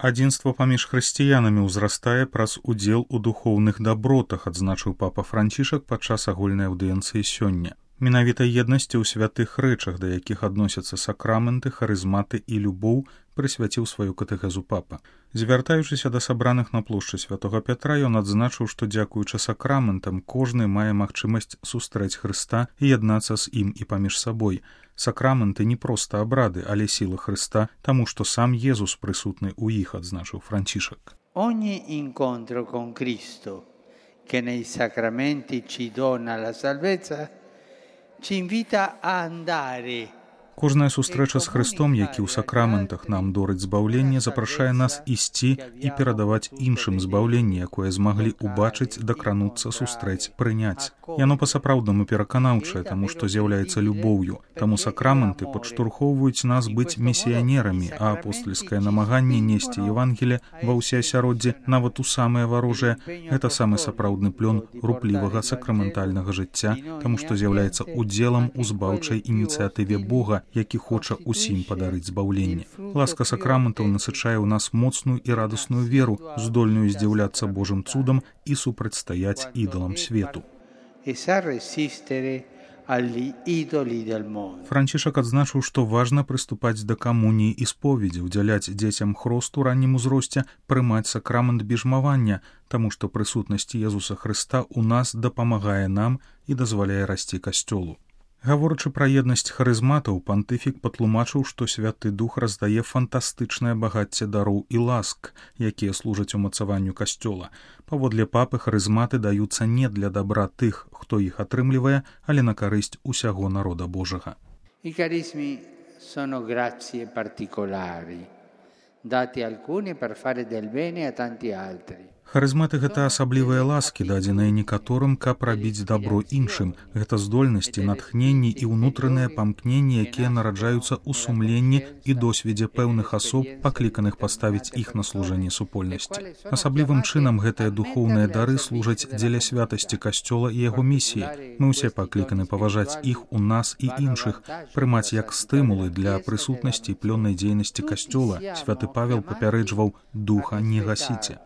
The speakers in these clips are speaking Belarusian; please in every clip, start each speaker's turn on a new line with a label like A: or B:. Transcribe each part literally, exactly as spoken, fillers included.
A: Адзінства паміж хрысціянамі ўзрастае праз удзел у духоўных дабротах, адзначыў папа Францішак падчас агульнай аўдыенцыі сёння. Менавіта еднасці ў святых рэчах, да якіх адносяцца сакраменты, харызматы і любоў, прысвяціў сваю катэхезу папа. Звяртаючыся да сабраных на плошчы святога Пятра, ён адзначыў, што дзякуючы сакраментам кожны мае магчымасць сустрэць Хрыста і яднацца з ім і паміж сабой. Сакраменты не проста абрады, але сіла Хрыста, таму што сам Езус прысутны ў іх, адзначыў Францішак.
B: Ogni incontro con Cristo, che nei sacramenti ci dona la salvezza, ci invita a andare.
A: Кожная сустрэча з Хрыстом, які ў сакраментах нам дорыць збаўленне, запрашае нас ісці і перадаваць іншым збаўленне, якое змаглі ўбачыць, дакрануцца, сустрэць, прыняць. Яно па-сапраўднаму пераканаўчае, таму што з'яўляецца любоўю. Таму сакраменты падштурхоўваюць нас быць місіянерамі, а апостальскае намаганне несці Евангелие ва ўсе асяроддзе, нават у самае варожае, гэта самы сапраўдны плён руплівага сакраментальнага жыцця, таму што з'яўляецца удзелам у збаўчай ініцыятыве Бога, які хоча усім падарыць збаўленне. Ласка сакраментаў насычае ў нас моцную і радасную веру, здольную здзіўляцца Божым цудам і супрацьстаяць ідалам свету. Францішак адзначыў, што важна прыступаць да камуніі і споведзі, удзяляць дзецям хрост у раннім узросце, прымаць сакрамент біжмавання, таму што прысутнасць Езуса Хрыста ў нас дапамагае нам і дазваляе расці касцёлу. Гаворачы пра еднасць харызматаў, пантыфік патлумачыў, што Святы Дух раздае фантастычнае багацце дароў і ласк, якія служаць умацаванню касцёла. Паводле папы, харызматы даюцца не для дабра тых, хто іх атрымлівае, але на карысць усяго народа Божага.
B: I carismi sono grazie particolari, dati alcuni per fare del bene a tanti altri.
A: Харызматы — гэта асаблівыя ласкі, дадзеныя некаторым, каб рабіць дабро іншым. Гэта здольнасці, натхненні і ўнутраныя памкненні, якія нараджаюцца ў сумленні і досведзе пэўных асоб, пакліканых паставіць іх на служэнне супольнасці. Асаблівым чынам гэтыя духоўныя дары служаць дзеля святасці касцёла і яго місіі. Мы ўсе пакліканы паважаць іх у нас і іншых, прымаць як стымулы для прысутнасці плённай дзейнасці касцёла. Святы Павел папярэджваў: духа не гасіце.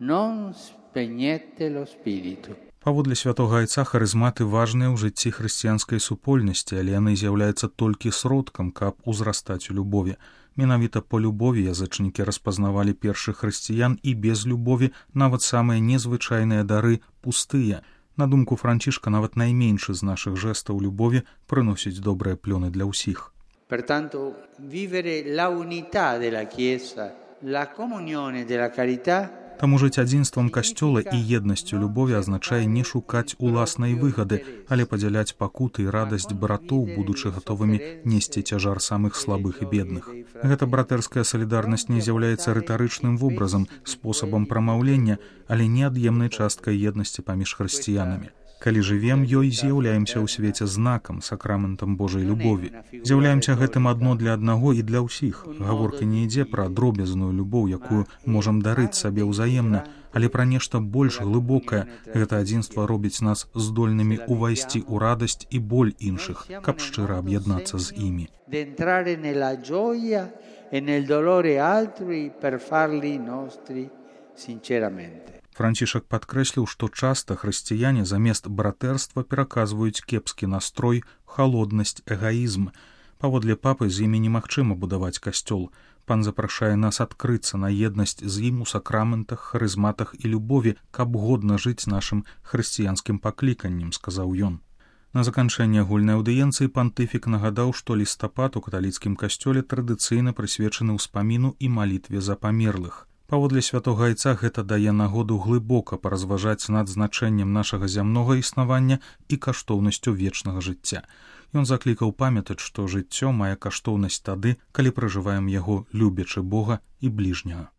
B: Non spegnete lo spirito.
A: Паводле святога айца, харызматы важныя ў жыцці хрысціянскай супольнасці, але яны з'яўляюцца толькі сродкам, каб узрастаць у любові. Менавіта па любові язычнікі распазнавалі першых хрысціян, і без любові нават самыя незвычайныя дары пустыя. На думку Францішка, нават найменшы з нашых жэстаў любові прыносіць добрыя плёны для ўсіх.
B: Pertanto, vivere la unità della Chiesa, la comunione della carità.
A: Таму жыць адзінствам касцёла і еднасцю любові азначае не шукаць уласнай выгады, але падзяляць пакуты і радасць братоў, будучы гатовымі несці цяжар самых слабых і бедных. Гэта братэрская салідарнасць не з'яўляецца рытарычным вобразам, спосабам прамаўлення, але неад'емнай часткай еднасці паміж хрысціянамі. Калі жывем ёй, з'яўляемся ў свеце знакам, сакраментам Божай любові. З'яўляемся гэтым адно для аднаго і для ўсіх. Гаворка не ідзе пра дробязную любоў, якую можам дарыць сабе ўзаемна, але пра нешта больш глыбокае. Гэта адзінства робіць нас здольнымі ўвайсці ў радасць і боль іншых, каб шчыра аб'яднацца з імі.
B: D'entrare nella gioia e nel dolore altri per farli nostri sinceramente.
A: Францішак падкрэсліў, што часта хрысціяне замест братэрства пераказваюць кепскі настрой, халоднасць, эгаізм. Паводле папы, з імі немагчыма будаваць касцёл. Пан запрашае нас адкрыцца на еднасць з ім у сакраментах, харызматах і любові, каб годна жыць нашым хрысціянскім пакліканнем, сказаў ён. На заканчэнне агульнай аўдыенцыі пантыфік нагадаў, што лістапад у каталіцкім касцёле традыцыйна прысвечаны ўспаміну і малітве за памерлых. Паводле святога айца гэта дае нагоду глыбока паразважаць над значэннем нашага зямнога існавання і каштоўнасцю вечнага жыцця. Ён заклікаў памятаць, што жыццё мае каштоўнасць тады, калі пражываем яго любячы Бога і бліжняга.